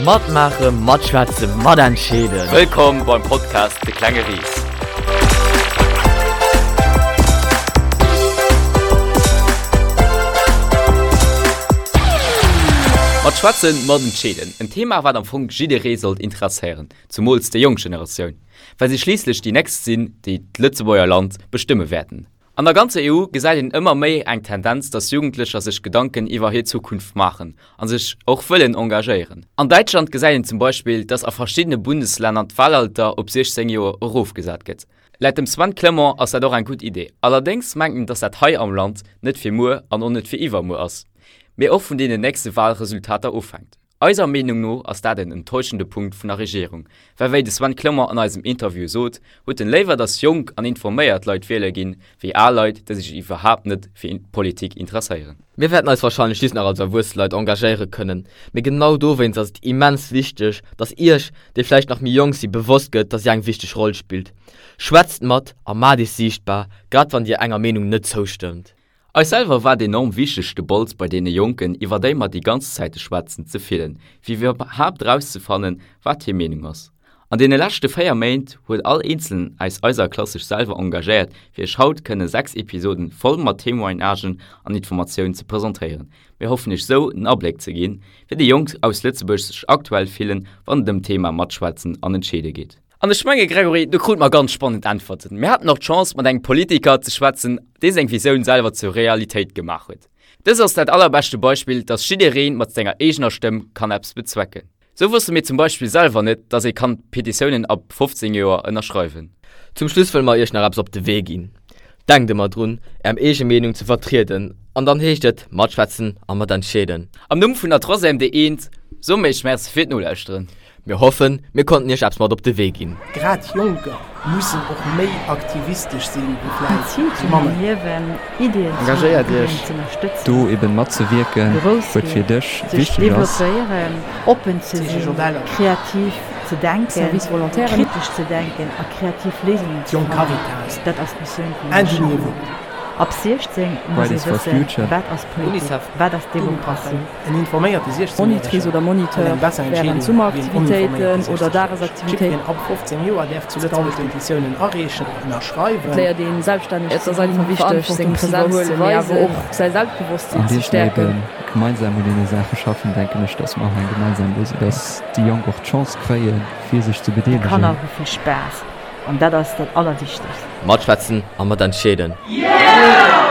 Matmaachen, matschwätzen, matentscheeden. Wëllkomm beim Podcast De klenge Ris. Matschwätzen, matentscheeden, en Thema wat am Fong jidderee sollt interesséieren, zumools déi jonk Generatioun, well si schliisslech déi nächst sinn, déi d'Lëtzebuerger Land bestëmme wäerten. An der ganzer EU gesäit een ëmmer méi eng Tendenz, dass Jugendlecher sech Gedanken iwwer hir Zukunft maachen a sech och wëllen engagéieren. An Däitschland gesäit een zum Beispill, dass a verschiddene Bundeslänner d'Wahlalter op 16 Joer erofgesat gëtt. Laut dem Sven Clement ass dat och eng gutt Idee. Allerdéngs mengt en, dass dat hei am Land net fir muer an och net fir iwwermuer ass, mee och vun deenen nächste Wahlresultater ofhänkt. Eiser Meenung no ass dat en enttäuschende Punkt vun der Regierung, well wéi de Sven Clement an eisem Interview sot, huet en léiwer datt jonk an informéiert Leit wiele ginn, wéi al Leit, déi sech iwwerhaapt net fir Politik interesséieren. Mir wäerten eis warscheinlech just nach als erwuesse Leit engagéiere kënnen, mee genau dowéinst ass et immens wichteg, datt iech, déi vläicht nach méi jonk si, bewosst gëtt, datt dir eng wichteg Roll spillt. Schwätzt mat a maacht iech siichtbar, grad wann dir enger Meenung net zoustëmmt. Eis selwer war et enorm wichteg de Bols bei deene Jonken, iwwer déi mer déi ganz Zäite schwätzen, ze fillen, fir iwwerhaapt erauszefannen, wat hir Meenung ass. An deene leschte 4 Méint huet all Eenzelen aus eiser Klass sech selwer engagéiert, fir iech haut kënne 6 Episoden voll mat Témoignagen an Informatiounen ze presentéieren. Mir hoffen iech sou en Abléck ze ginn, wéi déi Jonk aus Lëtzebuerg sech aktuell fillen, wann et ëm d'Thema Matschwätzen an Entscheede geet. An ech menge Gregory, do krute mer ganz spannend Äntwerten. Mir haten och d'Chance mat engem Politiker ze schwätzen, dee seng Visioun selwer zur Realitéit gemaach huet. Dëst ass dat allerbeschte Beispill, dass jidderee mat senger eegener Stëmm kann eppes bezwecken. Sou wosste mir zum Beispill selwer net, dass ee kann Petitiounen ab 15 Joer ënnerschreiwen. Zum Schluss wëlle mer iech nach eppes op de Wee ginn. Denkt ëmmer drun, Är eege Meenung ze vertrieden an dann heescht et matschwätzen a matentscheeden. Am Numm vun der Troisième D1 soe mir iech Merci fir d'Nolauschteren. Mir hoffen, mir konnten iech eppes mat op de Wee ginn. Grad Jonker mussen och méi aktivistesch sinn wéi vläit Zil déi zu manner. mengem Liewen, Ideeën ze hunn, Engagéiert Ideeën Iech ze ënnerstëtzen, do eben matzewierken, grouss wou et fir ginn, dech sech wichteg ass. developpéieren, oppen ze CGJ sinn, Eller. kreativ ze denken, Service Volontaire. kritesch ze denken a kreativ Léisungen ze D'Jonk fannen, Caritas. dat ass d'Missioun vun engem Indignez-vous! Schäfferot. Ab 16 muss ee Fridays for wëssen, Future. wat ass Politik, Unicef. wat ass Demokratie. En informéierte 16 Monitrice Järegen oder huet Moniteur eng besser während Entscheedung wéi en Summeraktivitéiten oninforméierte oder 60 Järegen. Dagesaktivitéiten. Jiddwereen ab 15 Joer däerf zu Lëtzebuerg Petitiounen areechen, ënnerschreiwen. Et léiert een selbststänneg Et ze ass sinn, einfach wichteg, seng Verantwortung ze Präsenz ze iwwerhuelen, mee awer weisen. och säi Selbstbewosstsinn An ze deem mir stäerken. ebe gemeinsam un deene Saache schaffen, denken ech, dass mer och eng gemeinsam Léisung, dass déi Jonk och d'Chance kréien, fir sech ze D'Kanner bedeelegen. hu vill Spaass an dat ass dat Allerwichtegst. Matschwätzen a matentscheeden. Yeah!